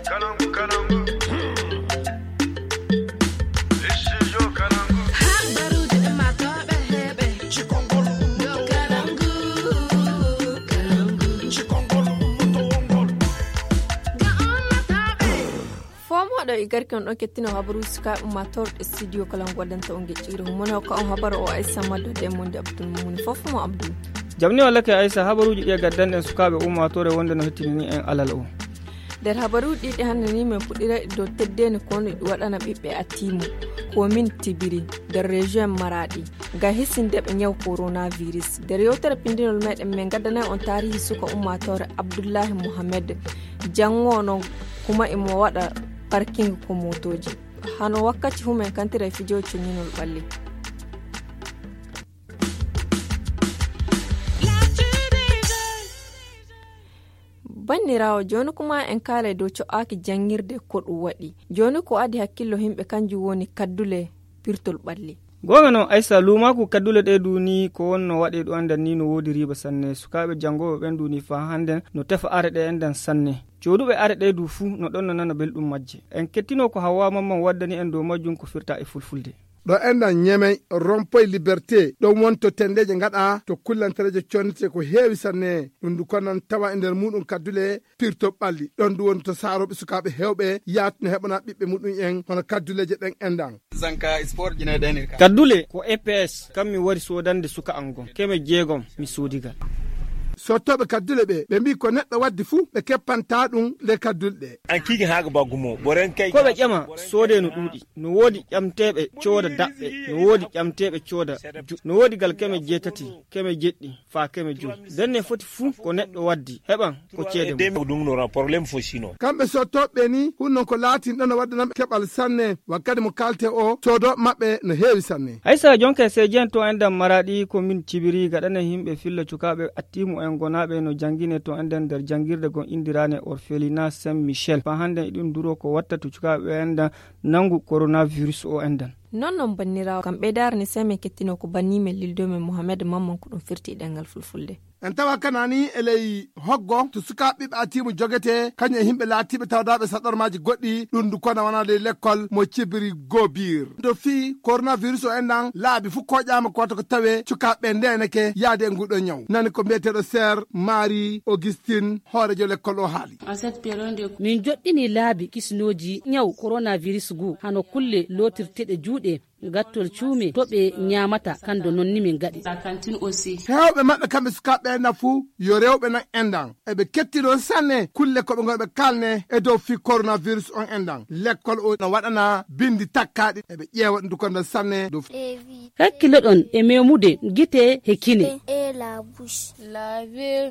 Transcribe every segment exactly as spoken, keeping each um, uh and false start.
Habaruuji ɗi matooɓe heɓe. Cikongol ummoto wongol. Cikongol ummoto wongol. Ga ummatooɓe. Fomoɗo e garki on ɗon kettino habaruuji sukaaɓe ummatorɗe studio kala on waɗanta on geƴƴiire humone hokka on habaru o Aissa Maddo de monde Abdul Mumuni fof mo Abdul. Jamni wallake Aissa, habaruuji ɗi e gaddanɗen sukaaɓe ummatore wonde no hettinini en alal o. Nder habaruuji ɗiɗi hannde ni, min puɗɗira e dow teddeendi konu ɗi waɗana ɓiɓɓe Atimu, komin Tibiri, nder région Maraɗi, ngam hisinde ɓe ñaw coronavirus. Nder yewtere pindinol meɗen, min ngaddana on taarihi suka ummaatoore Abdullahi Mohamed, janngo noon kuma imo waɗa parking ko mootooji. Hano wakkati humen kantira e fijo cuñinol ɓalli. Banniraawo, jooni kuma en kaalay dow co'aaki janngirde ko ɗum waɗi. Jooni ko adi hakkillo yimɓe kanjum woni kaddule pirtol ɓalli. Goonga noon, Aissa, luumaaku kaddule ɗe du ni ko wonno waɗe ɗo anndan ni no woodi riiba sanne. Sukaaɓe janngooɓe ɓen du ni faa hannden no tefa are ɗe enɗan sanne. Jooɗuɓe are ɗe du fuu no ɗon no nana belɗum majje. En kettino ko Hawwa Mamman waddani en dow majjum ko firta e fulfulde. Ɗo enɗan Ñemey, Rompoy Liberté, ɗon woni to tenndeeje ngaɗa to kullantereeje connete ko heewi sanne. Ɗum du ko nan tawa e nder muuɗum kaddule pirto ɓalli. Ɗon du woni to saarooɓe sukaaɓe heewɓe yaatino heɓana ɓiɓɓe muɗum en hono kadduleeje ɗen enɗan. Zanka sport jine ɗen ka. Kaddule ko E P S, kam mi wari soodande suka an gon. Keme jeegom mi soodigal. Sottooɓe kaddule ɓe, ɓe mbii ko neɗɗo waddi fuu, ɓe keppantaa ɗum le kaddule ɗe. An kiiki haaga baggu mo, boren kay. Ko ɓe ƴama soodee no ɗuuɗi. No woodi ƴamteeɓe cooda daɓɓe, no woodi ƴamteeɓe cooda ju-, no woodi gal keme jeetati, keme jeɗɗi, faa keme joy. Nden ne foti fuu ko neɗɗo waddi, heɓan ko ceede mum. Ɗum no problème fo sino. Kamɓe sottooɓe ni, hun non ko laatin ɗon no waddanam keɓal sanne, wakkati mo kaalte o, soodooɓe maɓɓe no heewi sanne. Haysa jonka e seeji en to enɗan Maraɗi ko min cibiri gaɗane yimɓe filla cukaaɓe attimu en gonaaɓe no janngine to enɗan nder janngirde gon indirane Orphelinat Saint Michel. Faa hannden e ɗum duro ko watta to cukaaɓe enɗan nanngu coronavirus o enɗan. Non non banniraawo, kam ɓeydaare ni sey min kettino ko banni men lildo men Mohamed Mamman ko ɗum firti e ɗemngal fulfulde. En tawa kanani e ley hoggo to sukaaɓe ɓiɓɓe atiimu jogetee, kañum e yimɓe laatiiɓe tawdaaɓe saɗormaaji goɗɗi, ɗum ndu kona wona ley lekkol mo cibiri gobiir. To fii coronavirus o enɗan laabi fof koƴaama ko wata ko tawee cukaaɓe ndeeneke yaade e nguɗo ñaw. Nani ko mbiyeteeɗo Sir Marie Augustine, hoorejo lekkol o haali. Min joɗɗini laabi kisnooji ñaw coronavirus ngu, hano kulle lootirteɗe juuɗe, gattol cuume, to ɓe ñaamata, kando non ni min gaɗi. Heewɓe maɓɓe kamɓe sukaaɓe enɗan fuu, yo rewɓe nan enɗan. Eɓe kettino sanne kulle ko ɓe ngoni ɓe kaalne e dow fii coronavirus on enɗan. Lekkol o no waɗana bindi takkaaɗi, eɓe ƴeewa ɗum dukonda sanne dow. Hakkiloɗon e memude gite he kine.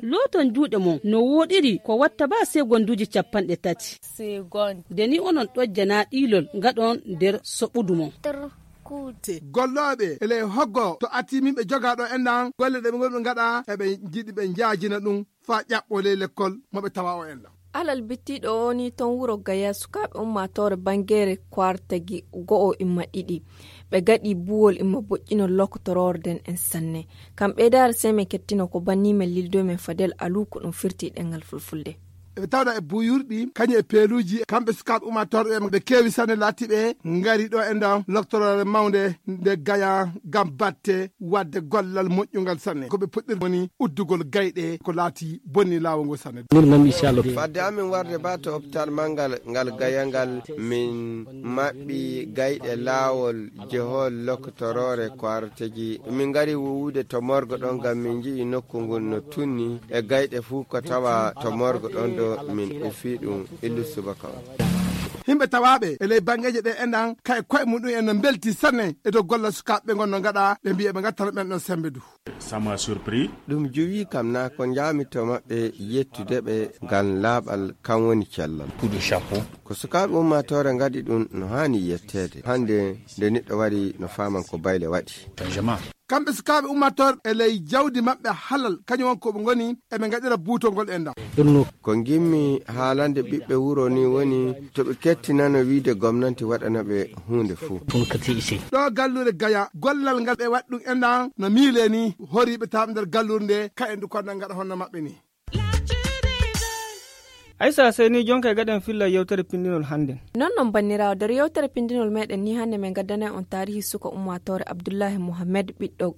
Looton juuɗe mon no wooɗiri ko watta ba segonduuji capanɗe tati. Nde ni onon ɗojjana ɗiilol ngaɗon nder soɓudu mon. Gollooɓe e ley hoggo to attiminɓe jogaaɗo enɗan golle ɗe ɓe ngoni ɓe ngaɗa, eɓe njiɗi ɓe njaajina ɗum faa ƴaɓɓoo ley lekkol mo ɓe tawa o enɗan. Alal bittiiɗo o ni ton wuro Gaya, sukaaɓe ummaatoore Bangeere Kwaar tagi go'o imma ɗiɗi. Ɓe gaɗi buwol imma boƴƴinol lokotoroore nden en sanne. Kam ɓeydaare sey min kettino ko banni men lildo men Fadel Alu ko ɗum firti e ɗemngal fulfulde. Eɓe tawda e buyurɗi, kañum e peeluuji, kamɓe sukaaɓe ummaatoore ɓe, ɓe keewi sanne laatiiɓe ngari ɗo enɗan loktoroore mawnde nde Gaya ngam batte waɗde gollal moƴƴungal sanne. Ko ɓe puɗɗiri woni uddugol gayɗe ko laati bonni laawol ngol sanne. Fadde amin warde ba to hôpital manngal ngal Gaya ngal, min maɓɓi gayɗe laawol jehol lokotoroore Kwaar tagi. Min ngari wuwude to morgue ɗon ngam min nji'i nokku ngun no tunni e gayɗe fuu ko tawa to morgue ɗon ɗo min ufi ɗum illu subaka on. Yimɓe tawaaɓe e ley banngeeje ɗe enɗan kay koye muɗum en no mbelti sanne e dow gollal sukaaɓe ɓe ngon no ngaɗa, ɓe mbiya ɓe ngattana ɓen ɗon sembe du. Ça m'a surpris. Ɗum juwii kam, naa ko njaami to maɓɓe yettude ɓe ngam laaɓal, kam woni cellal. Coup de chapeau. Ko sukaaɓe ummaatoore ngaɗi ɗum no haani yetteede. Hannde nde neɗɗo wari no faaman ko bayle waɗi. Changement. Kamɓe sukaaɓe ummaatoore e ley jawdi maɓɓe halal, kañum woni ko ɓe ngoni, eɓe ngaɗira buutol ngol enɗan. Ko ngimmi haalande ɓiɓɓe wuro ni woni to ɓe kettinano wiide gomnanti waɗana ɓe huunde fuu. Ɗo galluure Gaya, gollal ngal ɓe waɗi ɗum enɗan no miile ni, horiiɓe tawaaɓe nder galluure nde, ka en du konɗan ngaɗa honno maɓɓe ni. Aysa, sey ni jonka e gaɗen filla yewtere pinndinol hannden. Non non banniraawo, nder yewtere pinndinol meɗen ni hannde min gaddanay on taarihi suka ummaatoore Abdullahi Muhammed ɓiɗɗo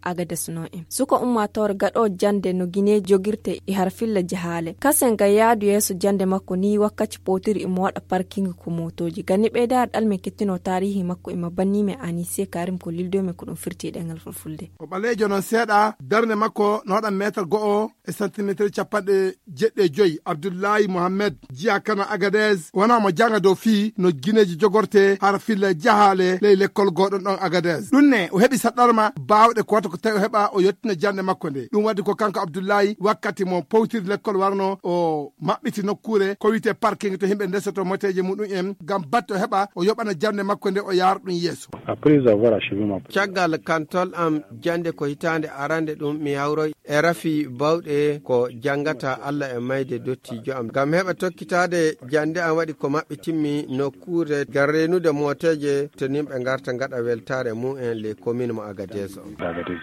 Agadez no en. Suka ummaatoore gaɗo jannde no Gine jogirte e har filla jahaale. Kasen ga yaadu yeeso jannde makko ni wakkaci powtiri imo waɗa parking ko mootooji. Ganni ɓeydaare ɗal min kettino taarihi makko ima banni men Anise Karim ko lildo men ko ɗum firti e ɗengal fulfulde. O ɓaleejo non seeɗa, darnde makko no waɗa meetar go'o e santimeetir capanɗe jeɗɗi e joyi. Abdullahi Mohammed, jiya kana Agadez, wona mo janga dow fii no gineeji jogorte hara filla jahaale ley lekkol goɗon ɗon Agadez. Ɗum ne, o heɓi saɗɗarma baawɗe ko wata ko tawi o heɓa o yettina jannde makko nde. Ɗum waɗi ko kanko Abdullahi, wakkati mo powtiri lekkol warno, o maɓɓiti nokkuure ko wiyetee parking to yimɓe ndesoto moteeje muɗum en, ngam batte o heɓa o yoɓana jannde makko nde o yaara ɗum yeeso. Après avoir achevé ma Caggal kantol am jannde ko hitaande arande ɗum mi hawroy e rafi bawɗe ko janngata Alla e mayde dottijo am. Ngam heɓa tokkitaade jannde am waɗi ko maɓɓitimmi nokkuure ngam reenude mooteeje to nimɓe ngarta ngaɗa weltaare mumen ley komin mo Agadez o.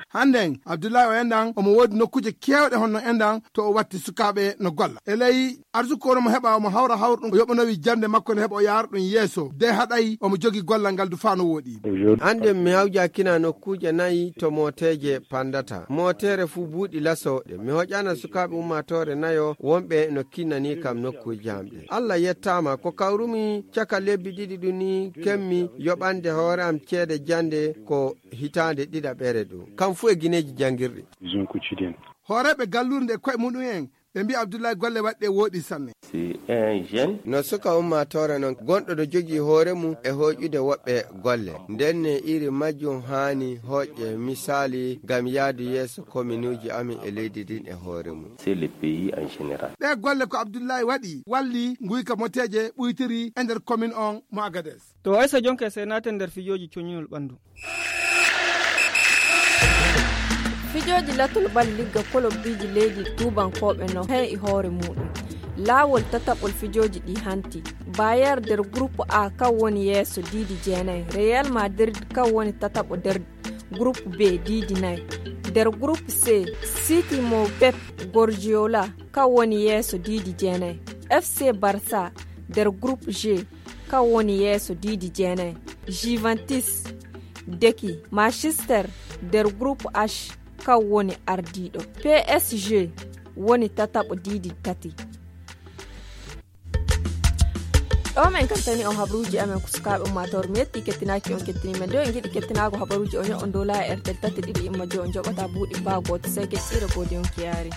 Hannden, Abdullahi o enɗan, omo woodi nokkuuje keewɗe honno enɗan to o watti sukaaɓe no golla. E ley arsuko no mo heɓa omo hawra hawra ɗum o yoɓanowi jannde makko nde heɓa o yaara ɗum yeeso. De haɗay omo jogi gollal ngal du faa no wooɗi. Annden mi hawjakina nokkuuje nayi to mooteeje pandata. Mooteere fuu buuɗi laso. Mi hoƴana sukaaɓe ummaatoore nayo wonɓe no kinnani kam nokkuuje am ɗe. Alla yettaama ko kawrumi caka lebbi ɗiɗi ɗum ni kemmi yoɓande hoore am ceede jannde ko hitaande ɗiɗaɓere ɗo. Kam fuu e gineeji janngirɗi. Hooreeɓe galluure nde koye muɗum en ɓe mbi'i Abdullahi golle waɗɗe wooɗi sanne. No suka ummaatoore non gonɗo no jogii hoore mum e hooƴude woɓɓe golle. Nden ne iri majjum haani hooƴe misaali ngam yaadu yeeso kominuuji amin e leydi ndin e hoore mum. Ɗee golle ko Abdullahi waɗi walli nguyka moteeje ɓuytiri e nder komin on mo Agadez. To Aysa jonka e sey naaten nder fijooji coñinol ɓanndu. Fijooji latol bal ligga kolobbiiji leydi tuubankooɓe no hee e hoore muuɗum. Laawol tataɓol fijooji ɗi hanti. Bayer nder groupe A kan woni yeeso diidi jeenay. Real Madrid kan woni tataɓo nder groupe B diidi nay. Nder groupe C, City mo Pep Guardiola kan woni yeeso diidi jeenay. F C Barça nder groupe G kan woni yeeso diidi jeenay. Juventus deki Manchester nder groupe H kan woni ardiiɗo. P S G woni tataɓo diidi tati. Ɗo men kattani on habruuji amen ko sukaaɓe ummaatoore. Mi yetti kettinaaki on kettini men. Nde on ngiɗi kettinaago habaruuji on yoɓon dow laaya R T L tati ɗiɗi imma joy on joɓata buuɗi baa gooto sey keccire goodi on kiyaari.